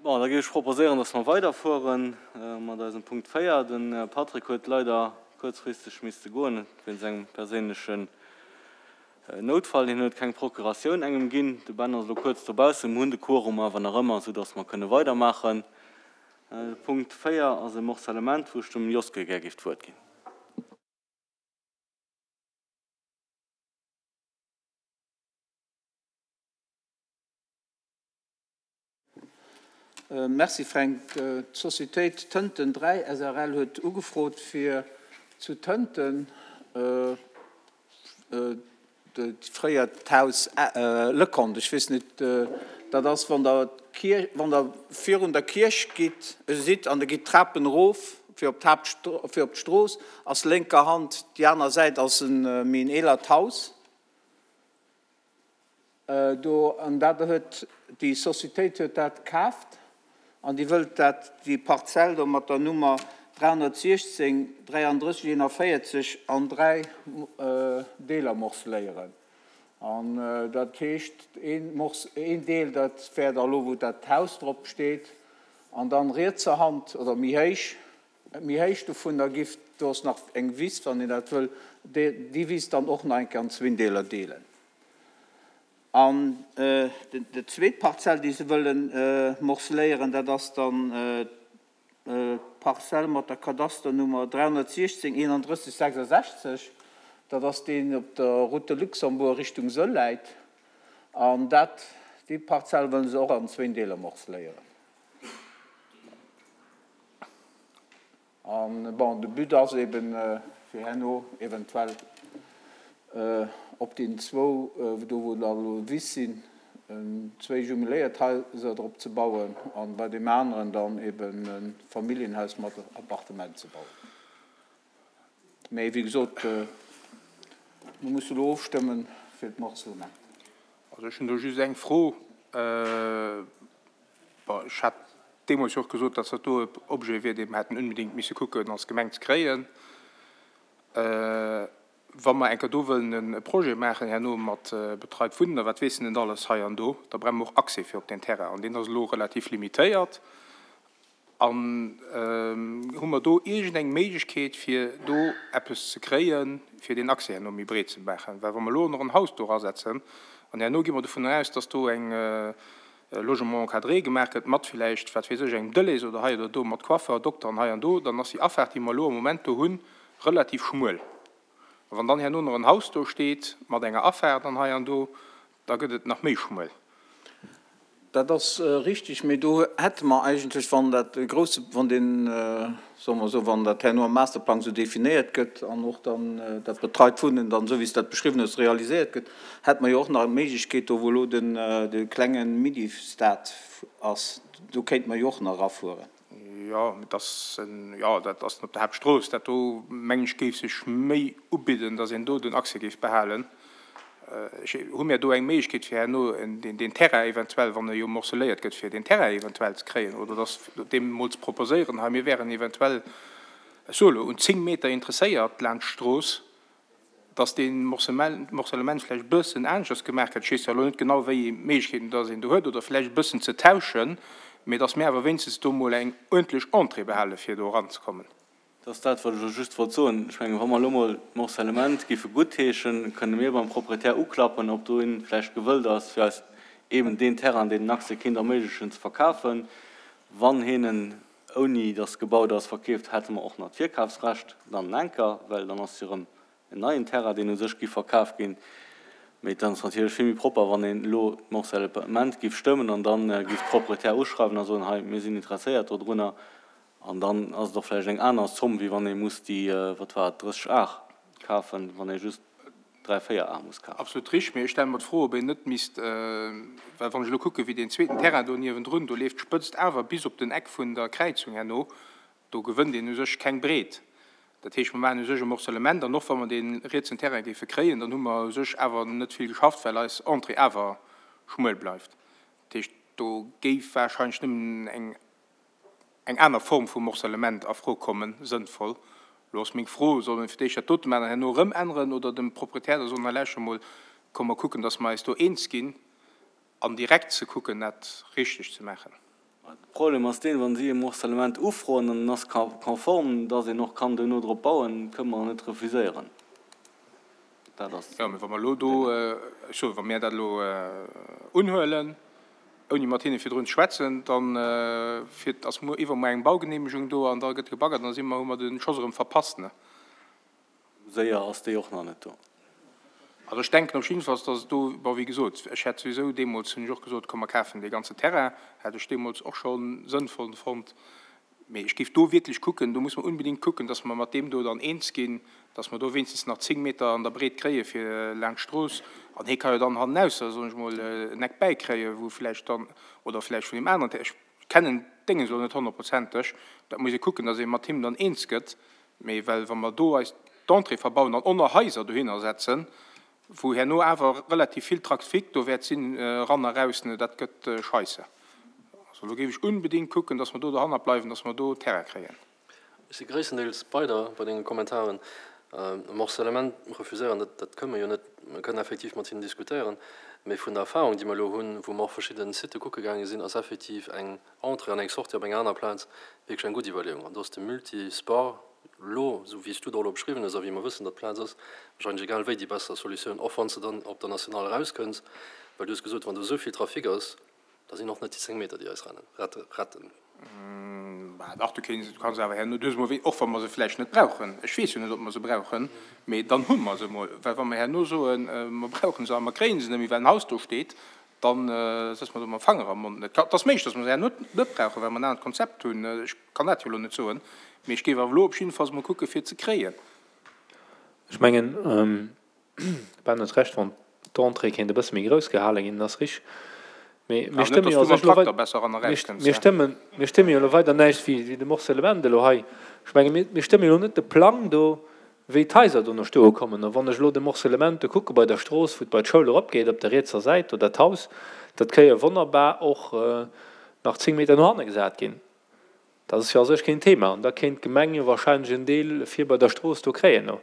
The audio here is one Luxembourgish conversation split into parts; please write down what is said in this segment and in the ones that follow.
Bon, da géif ech proposéieren, dass mer weiderfuere mat eisem Punkt 4. De Patrick huet leider kuerzfristeg misste goen wéinst engem perséinlechen Noutfall. Hien huet keng Procuratioun engem ginn. De Ben ass elo kuerz dobaussen. Mir hunn de Quorum awer nach ëmmer, soudass mer kënne weidermaachen. De Punkt 4 ass e Morcellement, wou ech dem Joske gär géif d'Wuert ginn. Merci Fränk. D'Societéit Tënten 3 srl huet ugefrot fir zu Tënten fréier d'Haus Leconte, ech weess net, dat ass wann der d'Kierch, wann der virun der Kierch gitt, sidd an der gitt d'Trapen erof fir op d'Haapt, fir op d'Strooss, ass lénker Hand déi aner Säit ass e méi en eelert Haus. Do, an dat huet, déi Societéit huet dat kaaft an déi wëllt dat, déi Parzell do mat der Nummer 316 33 41 an 3 Deeler morceléieren. An dat heescht, een Morce, een Deel, dat wär da elo wou dat Haus drop steet, an dann rietser Hand oder méi héich, méi héich dovunner giff, do ass nach eng Wiss, wann een dat wëll, déi Wiss dann och nach eng Kéier an zwéin Deeler deelen. An déi zweet Parzell, déi se wëlle morceléieren, dat ass dann d'Parzell mat der Kadasternummer 316 31 66. Dat ass deen op der Route de Luxembourg Richtung Sëll läit. An dat, déi Parzell wëlle se och an zwéin Deeler morceléieren. An bon, de But ass eben, fir herno eventuell op deenen zwou, do wou da elo Wiss sinn, zwéi jumeléiert Haiser drop ze bauen an bei deem aneren dann eben e Familljenhaus mat Appartement ze bauen. Mä wéi gesot, mir musse elo ofstëmmen fir d'Morcellement. Also ech hunn do just eng Fro. Bon, ech hat deemools jo och gesot, dass dat do e Objet wier, dee mer hätten unbedéngt misse kucken als Gemeng ze kréien. Wa mer eng Kéier do wëllen e Projet maachen herno mat betreit Wunnen a wat weess en net alles hei an do, da brauche mer och Accès fir op deen Terrain an deen ass elo relativ limitéiert. An hu mer do iergendeng Méiglechkeet, fir do eppes ze kréien, fir deen Accès herno méi breet ze maachen? Well wa mer elo nach en Haus do erasetzen an herno gi mer dovun aus, dass do eng Logement encadré gemaach gëtt, mat villäicht, wat weess ech, engem Delhaize oder hei oder do, mat Coiffeur, Dokter an hei an do, dann ass déi Afaart, déi mer elo am Moment do hunn, relativ schmuel. A wann dann herno nach en Haus do steet mat enger Afaart an hei an do, da gëtt et nach méi schmuel. Dat ass richtig, mee do hätte mer eigentlech, wann dat e grouse, wann deen, soe mer esou, wann dat herno am Masterplang esou definéiert gëtt an och dann dat betreit Wunnen dann, esou wéi s de dat beschriwwen hues, realiséiert gëtt, hätte mer jo och nach d'Méiglechkeet, do wou elo den, de klenge Mini-Stade ass, do kéinte mer jo och nach erafueren. Jo, mee dat ass en, jo, dat ass op der Haaptstrooss. Dat do, mengen ech, géif sech méi ubidden, datt een do den Accès géif behalen. Ech, hu mir do eng Méiglechkeet, fir herno deen Terrain eventuell, wann e jo morceléiert gëtt, fir deen Terrain eventuell ze kréien oder datt deem emol ze proposéieren, hei, mir wären eventuell, ech soe lo, un 10 Meter interesséiert laanscht d'Strooss, datt dee Morcellement vläicht e bëssen aneschters gemaach gëtt, ech weess jo elo net genau, wéi ee Méiglechkeeten datt een do huet, oder vläicht e bëssen ze tauschen, mee datt mir awer wéinstens do emol eng uerdentlech Entrée behale fir do eranzekommen. Dat ass dat, wat ech elo just wollt soen. Ech mengen, wa mer elo emol d'Morcellement géife guttheeschen, kënne mir beim Proprietär uklappen, ob do een vläicht gewëllt ass, fir eis eeben deen Terrain, deen den Accès kéint erméiglechen, ze verkafen. Wann hien en, ouni datt gebaut ass, verkeeft, hätte mer och nach d'Virkafsrecht dann enker, well dann ass jo erëm en neien Terrain, deen u sech giff verkaf ginn. Mee et ass natierlech vill méi propper, wann een elo d'Morcellement giff stëmmen an dann giff d'Proprietär uschreiwen a soen, hei, mir sinn interesséiert dodrunner An dann ass et och vläicht eng aner Zomm, wéi wann ee muss déi, wat war et, 30 Ar kafen, wann ee just 3, 4 Ar muss kafen. Absolut richtig, mee ech stelle mer d'Fro, ob een net misst, well wann ech elo kucke wéi deen zweeten Terrain do niewendrun, do leeft d'Spëtzt awer bis op den Eck vun der Kräizung herno, do gewënnt een u sech keng Breet. Dat heescht, mer maachen u sech e Morcellement an och wa mer dee rietsen Terrain géife kréien, dann hu mer u sech awer net vill geschafft, well eis Entrée awer schmuel bleift. Dat heescht, do géif wahrscheinlech nëmmen eng eng aner Form vu Morcellement a Fro kommen, sënnvoll. Elo ass meng Fro, Solle mir fir d'éischt dat dote maachen an herno erëm änneren oder dem Proprietär da soen, hei lauschter mol, komm mer kucken, dass mer eis do eens ginn an direkt ze kucken, dat richteg ze maachen? De Problem ass deen, wa si e Morcellement ufroen an en ass konform, dass een och kann duerno drop bauen, kënne mer net refuséieren. Dat ass. Jo, mee wa mer elo do, ech soen, wa mir dat elo unhuelen, ouni mat hinne virdrun ze schwätzen, da fiert, ass muer, iwwermuer eng Baugenehmegung do an da gëtt gebaggert an da si mer, hu mer de Schoss erëm verpasst, ne? Séier ass déi och nach net do. Also ech denken op jiddefalls, dass et do, bon, wéi gesot, ech hätt souwisou deemools, hunn ech och gesot, komm mer kafen dee ganzen Terrain, hätt ech deemools och scho sënnvoll fonnt. Mee ech géif do wierklech kucken, do muss mer unbedingt kucken, dass mer mat deem do dann eens ginn, dass mer do wéinstens nach 10 Meter an der Breet kréie fir laanscht d'Strooss. An hie ka jo dann hannenausser, soen ech mol, en Eck bäikréien, wou vläicht dann, oder vläicht vun deem aneren Terrain, ech kennen d'Dénges elo net honnertprozenteg, dat muss ee kucken, dass ee mat him dann eens gëtt. Mee well wa mer do eis d'Entrée verbauen an oner Haiser dohinner setzen, wou herno awer relativ vill Trafic do wäert sinn, eran a raus, dat gëtt scheisse. Also do géif ech unbedingt kucken, dass mer do dohannert bleiwen, dass mer do Terrain kréien. Ech si gréisstendeels bei der, bei denge Kommentaren. E Morcellement refuséieren, dat, dat kënne mer jo net. Mer kënnen effektiv mat hinnen diskutéieren, mee vun der Erfahrung, déi mer elo hunn, wou mer och verschidde Sitë kucke gaange sinn, ass effektiv eng Entrée an eng Sortie op enger aner Plaz wierklech eng gutt Iwwerleeung. An do ass de Multisport elo, esou wéi s du et och elo beschriwwen hues a wéi mer wëssen, datt d'Plaz ass, wahrscheinlech egal wéi déi besser Solutioun, och wann s de dann op der Nationale erauskënns, well du hues gesot, wann do esou vill Trafic ass, da sinn och net déi 10 Meter, déi eis rennen, retten. Bah dach, du kéints, du kanns awer herno, du hues emol wéi, och wa mer se vläicht net brauchen, ech weess jo net, ob mer se brauchen, mee dann hu mer se emol, well wa mer herno soen, mer brauchen se a mer kréie se net méi, well en Haus do steet, Dann sëtze mer do mam Fanger am Mond. Et ass méiglech, datt mer se herno net brauchen, well mer en anert Konzept hunn. Ech kann dat jo elo net soen, mee ech géif awer elo op jiddefalls emol kucke fir et ze kréien. Ech mengen, de Ben huet Recht, wann d'Entrée kéint e bësse méi grouss gehale ginn, dat ass richteg. Mee mir stëmme jo mir stëmme jo elo weider näischt wéi de Morcellement elo hei. Ech menge mir stëmme jo elo net de Plang do, wéi d'Haiser do no stoe kommen. A wann ech elo de Morcellement do kucke bei der Strooss, wou et bei d'Schoul eropgeet, op der rietser Säit do, dat Haus, dat ka jo wonnerbar och nach 10 Meter no hanne gesat ginn. Dat ass jo a sech keen Thema. An da kéint d'Gemeng jo wahrscheinlech en Deel vir bei der Strooss do kréien no.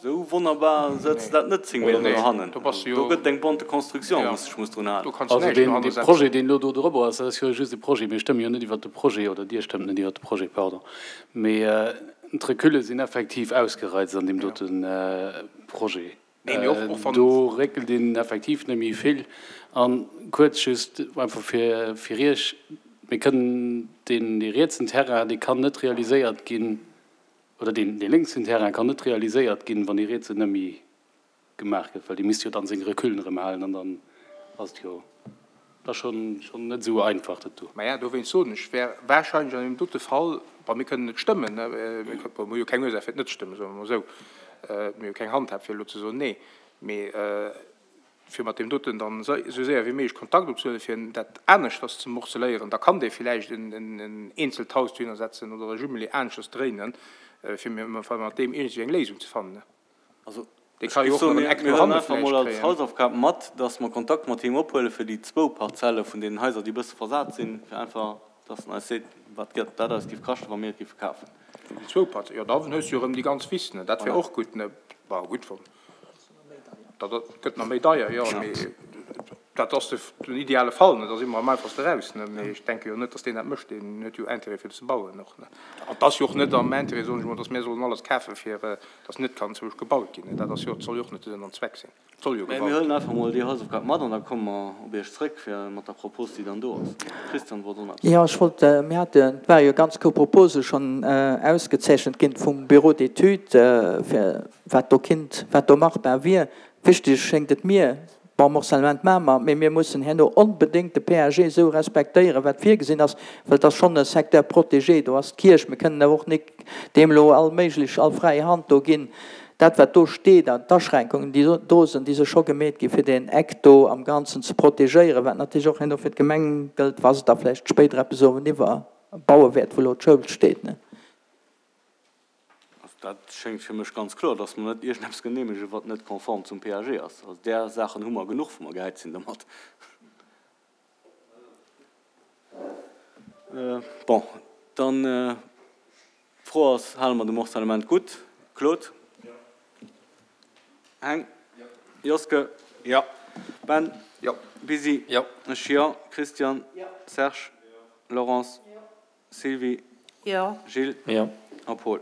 Esou wonnerbar sëtzt dat net 10 Meter no hannen. Do gëtt et eng bonte construction, wou sech muss drun halen. Also deen Projet, deen elo do drop ass, dat ass jo just e Projet. Mir stëmme jo net iwwert de Projet, oder Dir stëmmt net iwwert de Projet, pardon. Mee d'Reculle sinn effektiv ausgereizt an deem dote Projet. Do réckelt een effektiv net méi vill. A kuerz just einfach fir fir Iech, Mir kënnen deen dee rietsen Terrain, dee kann net realiséiert ginn, oder deen dee lénksen Terrain kann net realiséiert ginn, wann dee rietsen net méi gemaach gëtt, well dee misst jo dann seng Recullen erëm halen an dann ass et jo da schonn schonn net esou einfach dat do. Maja, dowéinst soen ech, wär wahrscheinlech an deem dote Fall, bon, mir kënnen net stëmmen, ne, mir kënnen, bon, mir hu jo keng Ursaach fir et net ze stëmmen, soe mer emol esou, mir hu keng Handhab fir elo ze soen nee, mee fir mat deem doten dann esou séier wéi méiglech Kontakt opzehuelen, fir dat aneschters ze morceléieren, da kann dee villäicht en eenzelt Haus dohinner setzen oder e Jumelé aneschters dréinen, fir mat deem iergendwéi eng Léisung ze fannen. Also, ech géif soen, mir huelen einfach emol als Hausaufgab mat, dass mer Kontakt mat him ophuele fir déi zwou Parzelle vun deenen Haiser, déi e bësse versat sinn, fir einfach, dass en eis seet, wat dat eis géif kaschten, wa mir et géife kafen. Déi zwou Parzellen, jo, da hues du jo erëm déi ganz Wiss, ne? Dat wär och gutt, ne? Bah, gutt, wann dat gëtt nach méi deier, jo, mee dat ass den ideale Fall, ne? Da si mer am einfachste raus, ne? Mee ech denke jo net, dass deen dat mécht, deen huet jo Intérêt fir ze bauen och, ne? An et ass jo och net am Intérêt, soen ech emol, dass mir sollen alles kafe fir dass net kann zwousch gebaut ginn. Dat ass jo, soll jo och net de Sënn an Zweck sinn. Et soll jo gebaut ginn. Mir huelen einfach emol déi Hausaufgab mat an da komme mer op Iech zrëck fir mat der Propos, déi dann do ass. Christian wollt och nach eppes soen. Jo, ech wollt, mir haten, et ware jo ganz grouss Propose schonn ausgezeechent ginn vum Bureau d'études, fir wat do kinnt, wat do machbar wier. Wichteg schéngt et mir, Bon, Morcellement maache mer, mee mir mussen herno onbedéngt de PAG esou respektéieren, wat virgesinn ass, well et ass schonn e Secteur protégé, do ass d'Kierch, mir kënnen awer och nik deem elo all méiglech, all fräi Hand do ginn. Dat, wat do steet an d'Aschränkungen, déi do sinn, déi si scho gemeet gi fir deen Eck do am Ganzen ze protegéieren, wat natierlech och herno fir d'Gemeng gëllt, wa se da vläicht spéider eppes ueweniwwer baue wäert, wou elo d'Schoul steet. Also dat schéngt fir mech ganz kloer, dass mer net iergendeppes genehmegen, wat net konform zum PAG ass. Also där Saachen hu mer genuch, wou mer gehäit sinn domat. Bon, dann d'Fro ass, Hale mer de Morcellement gutt? Claude? Heng? Joske? Jo. Ben? Jo. Bisi? Jo. Ech jo. Christian? Serge? Laurence. Sylvie. Jo. Gilles. Jo. A Paul.